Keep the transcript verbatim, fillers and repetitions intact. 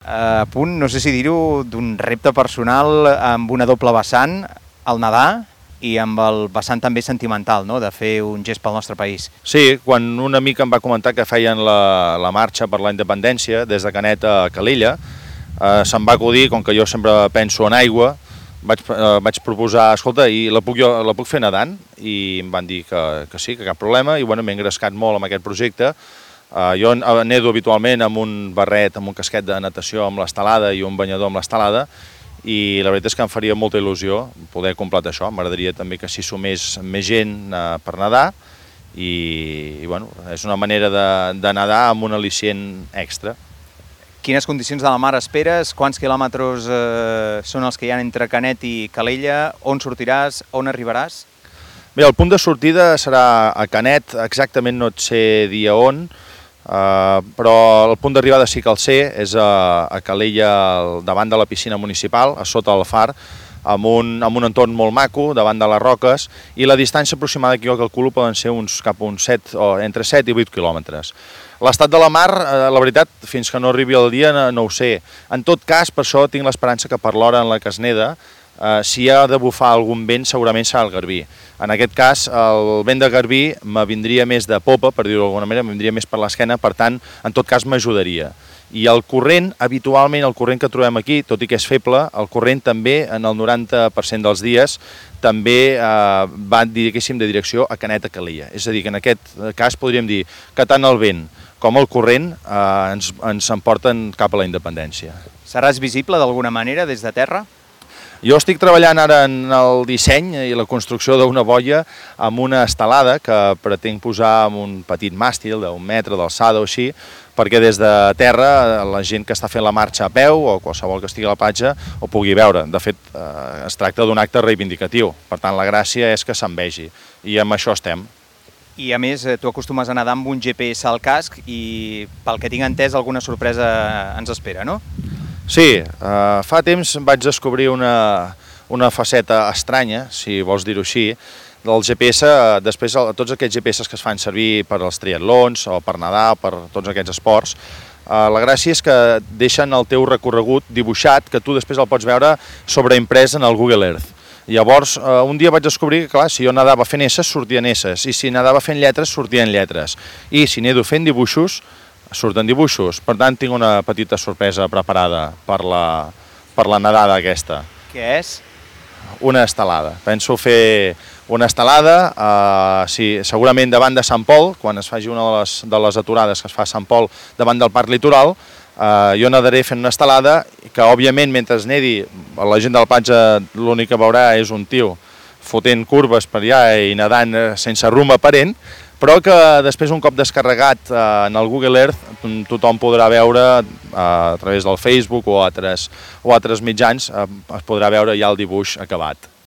a punt, no sé si dir-ho, d'un repte personal amb una doble vessant, el nedar, i amb el vessant també sentimental, no?, de fer un gest pel nostre país. Sí, quan un amic em va comentar que feien la, la marxa per la independència des de Canet a Calella, eh, se'm va acudir, com que jo sempre penso en aigua, vaig, eh, vaig proposar, escolta, i la puc, jo, la puc fer nedant? I em van dir que, que sí, que cap problema, i bueno, m'he engrescat molt amb aquest projecte. Uh, jo nedo habitualment amb un barret, amb un casquet de natació amb l'estelada i un banyador amb l'estelada, i la veritat és que em faria molta il·lusió poder completar això. M'agradaria també que s'hi sumés més gent uh, per nedar, i, i bueno, és una manera de, de nedar amb un al·licient extra. Quines condicions de la mar esperes? Quants quilòmetres eh, són els que hi ha entre Canet i Calella? On sortiràs? On arribaràs? Bé, el punt de sortida serà a Canet, exactament no et sé dir on, Uh, però el punt d'arribada sí que el sé, és a, a Calella, davant de la piscina municipal, a sota del far, amb un, amb un entorn molt maco, davant de les roques, i la distància aproximada que jo calculo poden ser uns cap a uns set, o entre set i vuit quilòmetres. L'estat de la mar, eh, la veritat, fins que no arribi el dia no, no ho sé. En tot cas, per això tinc l'esperança que per l'hora en la que es neda, Uh, si hi ha de bufar algun vent, segurament serà el garbí. En aquest cas, el vent de garbí me vindria més de popa, per dir-ho d'alguna manera, me vindria més per l'esquena, per tant, en tot cas m'ajudaria. I el corrent, habitualment el corrent que trobem aquí, tot i que és feble, el corrent també, en el noranta per cent dels dies, també uh, va, diguéssim, de direcció a Canet a Calella. És a dir, que en aquest cas podríem dir que tant el vent com el corrent uh, ens, ens emporten cap a la independència. Seràs visible d'alguna manera des de terra? Jo estic treballant ara en el disseny i la construcció d'una boia amb una estelada que pretenc posar amb un petit màstil d'un metre d'alçada o així, perquè des de terra la gent que està fent la marxa a peu o qualsevol que estigui a la platja ho pugui veure. De fet, eh, es tracta d'un acte reivindicatiu, per tant la gràcia és que se'n vegi, i amb això estem. I a més, tu acostumes a nedar amb un G P S al casc i, pel que tinc entès, alguna sorpresa ens espera, no? Sí, uh, fa temps vaig descobrir una, una faceta estranya, si vols dir-ho així, del G P S. Després, tots aquests G P S que es fan servir per als triatlons o per nedar, per tots aquests esports, uh, la gràcia és que deixen el teu recorregut dibuixat, que tu després el pots veure sobreimprès en el Google Earth. Llavors, uh, un dia vaig descobrir que, clar, si jo nedava fent esses, sortien esses, i si nedava fent lletres, sortien lletres, i si nedo fent dibuixos, surten dibuixos. Per tant, tinc una petita sorpresa preparada per la, per la nedada aquesta. Què és? Una estelada. Penso fer una estelada, eh, sí, segurament davant de Sant Pol, quan es faci una de les, de les aturades que es fa a Sant Pol davant del Parc Litoral, eh, jo nedaré fent una estelada que, òbviament, mentre es nedi, la gent de la platja l'únic que veurà és un tio fotent curves per allà i nedant sense rumb aparent, però que després, un cop descarregat eh, en el Google Earth, tothom podrà veure eh, a través del Facebook o altres, o altres mitjans, eh, es podrà veure ja el dibuix acabat.